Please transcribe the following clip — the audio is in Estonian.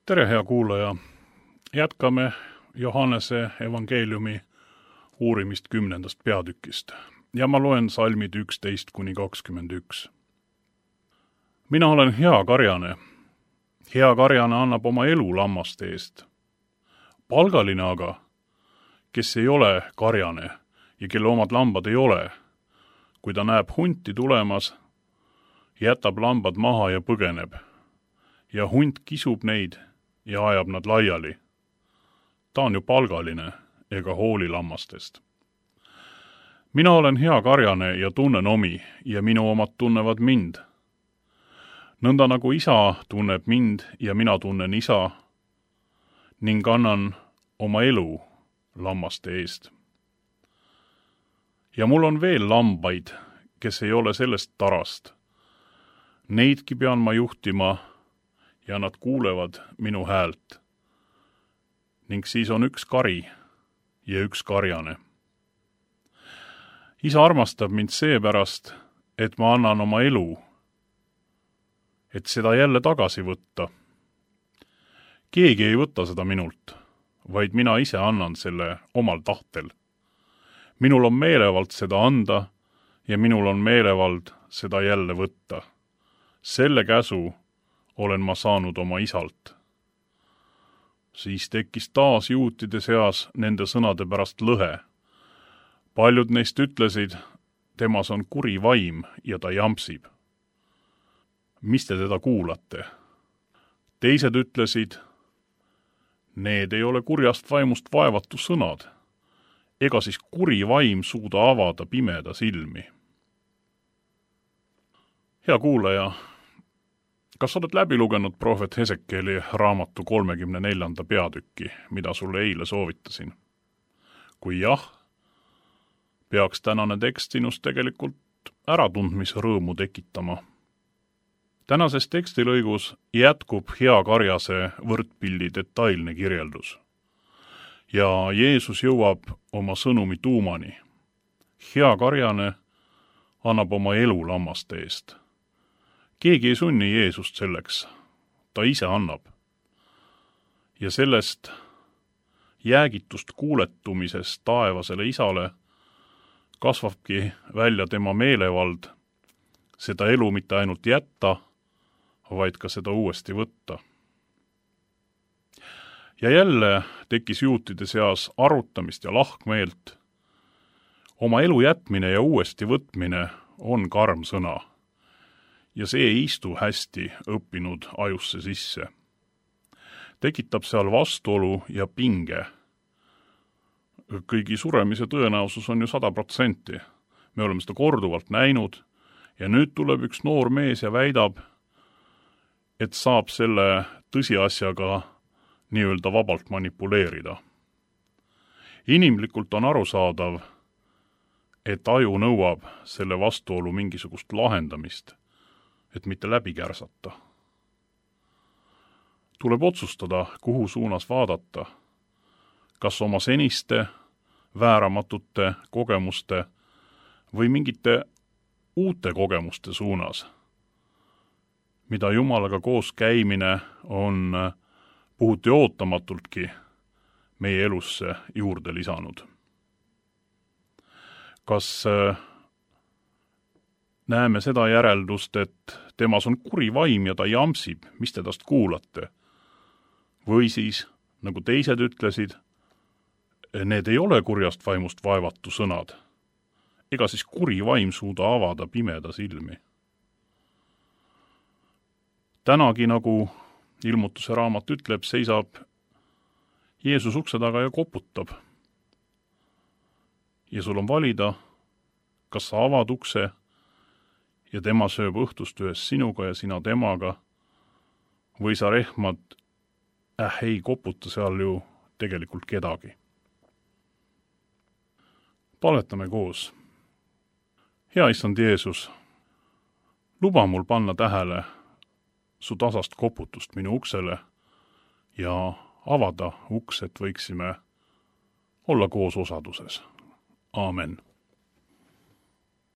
Tere, hea kuulaja! Jätkame Johannese evangeeliumi uurimist 10. peatükist ja ma loen salmid 11-21. Mina olen hea karjane. Hea karjane annab oma elu lammaste eest. Palgaline aga, kes ei ole karjane ja kelle omad lambad ei ole, kui ta näeb hunti tulemas, jätab lambad maha ja põgeneb. Ja hunt kisub neid ja ajab nad laiali. Ta on ju palgaline ega hooli lammastest. Mina olen hea karjane ja tunnen omi ja minu omad tunnevad mind. Nõnda nagu isa tunneb mind ja mina tunnen isa ning annan oma elu lammaste eest. Ja mul on veel lambaid, kes ei ole sellest tarast. Neidki pean ma juhtima ja nad kuulevad minu häält. Ning siis on üks kari ja üks karjane. Isa armastab mind seepärast, et ma annan oma elu, et seda jälle tagasi võtta. Keegi ei võta seda minult, vaid mina ise annan selle omal tahtel. Minul on meelevald seda anda ja minul on meelevald seda jälle võtta. Selle käsu olen ma saanud oma isalt. Siis tekkis taas juutide seas nende sõnade pärast lõhe. Paljud neist ütlesid, temas on kuri vaim ja ta jampsib. Mis te teda kuulate? Teised ütlesid, need ei ole kurjast vaimust vaevatu sõnad. Ega siis kuri vaim suuda avada pimeda silmi. Hea kuulaja, kas oled läbi lugenud prohvet Hesekieli raamatu 34. peatükki, mida sulle eile soovitasin? Kui jah, peaks tänane tekst sinust tegelikult äratundmise rõõmu tekitama. Tänases tekstilõigus jätkub hea karjase võrdpildi detailne kirjeldus. Ja Jeesus jõuab oma sõnumi tuumani. Hea karjane annab oma elu lammaste eest. Keegi ei sunni Jeesust selleks, ta ise annab. Ja sellest jäägitust kuuletumisest taevasele isale kasvabki välja tema meelevald seda elu mitte ainult jätta, vaid ka seda uuesti võtta. Ja jälle tekkis juutide seas arutamist ja lahkmeelt. Oma elu jätmine ja uuesti võtmine on karm sõna. Ja see ei istu hästi õppinud ajusse sisse. Tekitab seal vastuolu ja pinge. Kõigi suremise tõenäosus on ju 100%. Me oleme seda korduvalt näinud ja nüüd tuleb üks noor mees ja väidab, et saab selle tõsiasjaga nii-öelda vabalt manipuleerida. Inimlikult on arusaadav, et aju nõuab selle vastuolu mingisugust lahendamist, et mitte läbi kärsata. Tuleb otsustada, kuhu suunas vaadata, kas oma seniste, vääramatute kogemuste või mingite uute kogemuste suunas, mida Jumalaga koos käimine on puhuti ootamatultki meie elusse juurde lisanud. Kas näeme seda järeldust, et temas on kuri vaim ja ta jampsib, mis te tast kuulate? Või siis, nagu teised ütlesid, need ei ole kurjast vaimust vaevatu sõnad. Ega siis kuri vaim suuda avada pimeda silmi. Tänagi, nagu ilmutuse raamat ütleb, seisab Jeesus ukse taga ja koputab. Ja sul on valida, kas sa avad ukse ja tema sööb õhtust ühes sinuga ja sina temaga, või sa rehmad, ei koputa seal ju tegelikult kedagi. Palvetame koos. Hea issand Jeesus, luba mul panna tähele su tasast koputust minu uksele ja avada uks, et võiksime olla koos osaduses. Aamen.